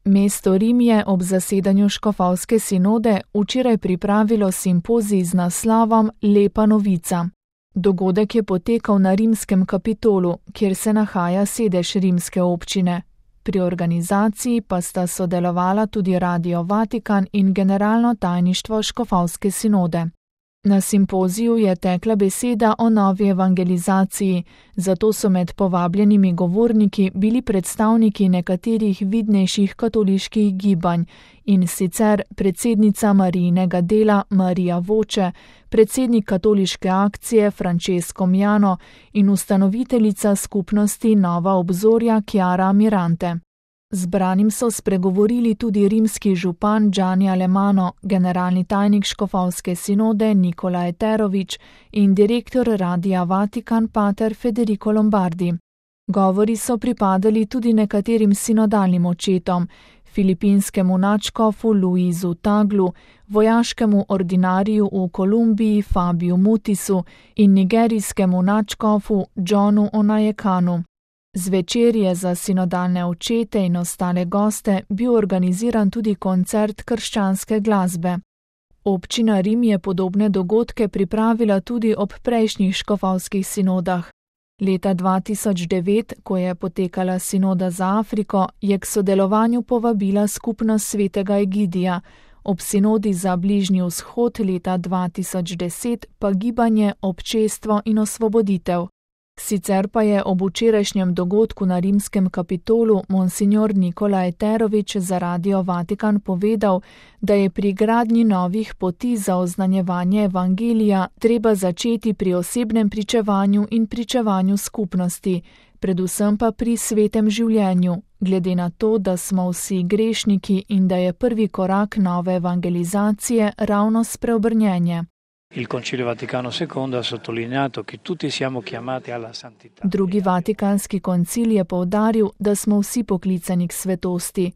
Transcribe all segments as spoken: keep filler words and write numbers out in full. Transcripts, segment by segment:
Mesto Rim je ob zasedanju škofovske sinode včeraj pripravilo simpozij z naslovom Lepa novica. Dogodek je potekal na rimskem Kapitolu, kjer se nahaja sedež rimske občine. Pri organizaciji pa sta sodelovala tudi Radio Vatikan in Generalno tajništvo škofovske sinode. Na simpoziju je tekla beseda o novi evangelizaciji, zato so med povabljenimi govorniki bili predstavniki nekaterih vidnejših katoliških gibanj, in sicer predsednica Marijinega dela Marija Voče, predsednik katoliške akcije Francesco Miano in ustanoviteljica skupnosti Nova obzorja Chiara Mirante. Zbranim so spregovorili tudi rimski župan Gianni Alemano, generalni tajnik škofovske sinode Nikola Eterović in direktor Radia Vatikan pater Federico Lombardi. Govori so pripadali tudi nekaterim sinodalnim očetom, filipinskemu nadškofu Luizu Taglu, vojaškemu ordinariju v Kolumbiji Fabiju Mutisu in nigerijskemu nadškofu Johnu Onayekanu. Zvečer je za sinodalne očete in ostale goste bil organiziran tudi koncert krščanske glasbe. Občina Rim je podobne dogodke pripravila tudi ob prejšnjih škofovskih sinodah. Leta dva tisoč devet, ko je potekala sinoda za Afriko, je k sodelovanju povabila skupnost svetega Egidija, ob sinodi za Bližnji vzhod leta dva tisoč deset pa gibanje Občestvo in osvoboditev. Sicer pa je ob včerajšnjem dogodku na rimskem Kapitolu monsignor Nikola Eterović za Radio Vatikan povedal, da je pri gradnji novih poti za oznanjevanje evangelija treba začeti pri osebnem pričevanju in pričevanju skupnosti, predvsem pa pri svetem življenju, glede na to, da smo vsi grešniki in da je prvi korak nove evangelizacije ravno spreobrnjenje. Il Concilio Vaticano secondo ha sottolineato che tutti siamo chiamati alla santità. Drugi vatikanski koncil je poudaril, da smo vsi poklicani k svetosti.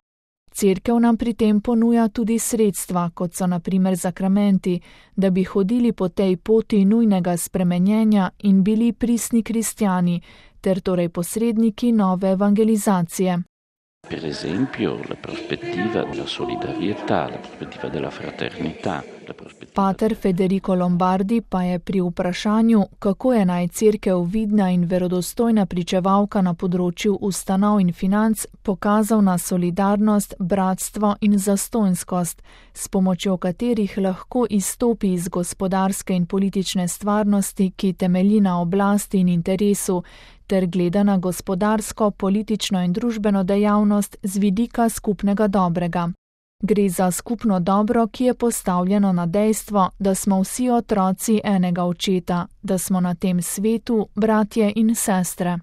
Cerkev nam pri tem ponuja tudi sredstva, kot so na primer zakramenti, da bi hodili po tej poti nujnega spremenjenja in bili pristni kristjani, ter torej posredniki nove evangelizacije. Per esempio, la prospettiva della solidarietà, la prospettiva della fraternità. Pater Federico Lombardi pa je pri vprašanju, kako je naj cerkev vidna in verodostojna pričevalka na področju ustanov in financ, pokazal na solidarnost, bratstvo in zastonjskost, s pomočjo katerih lahko izstopi iz gospodarske in politične stvarnosti, ki temelji na oblasti in interesu, ter gleda na gospodarsko, politično in družbeno dejavnost z vidika skupnega dobrega. Gre za skupno dobro, ki je postavljeno na dejstvo, da smo vsi otroci enega očeta, da smo na tem svetu bratje in sestre.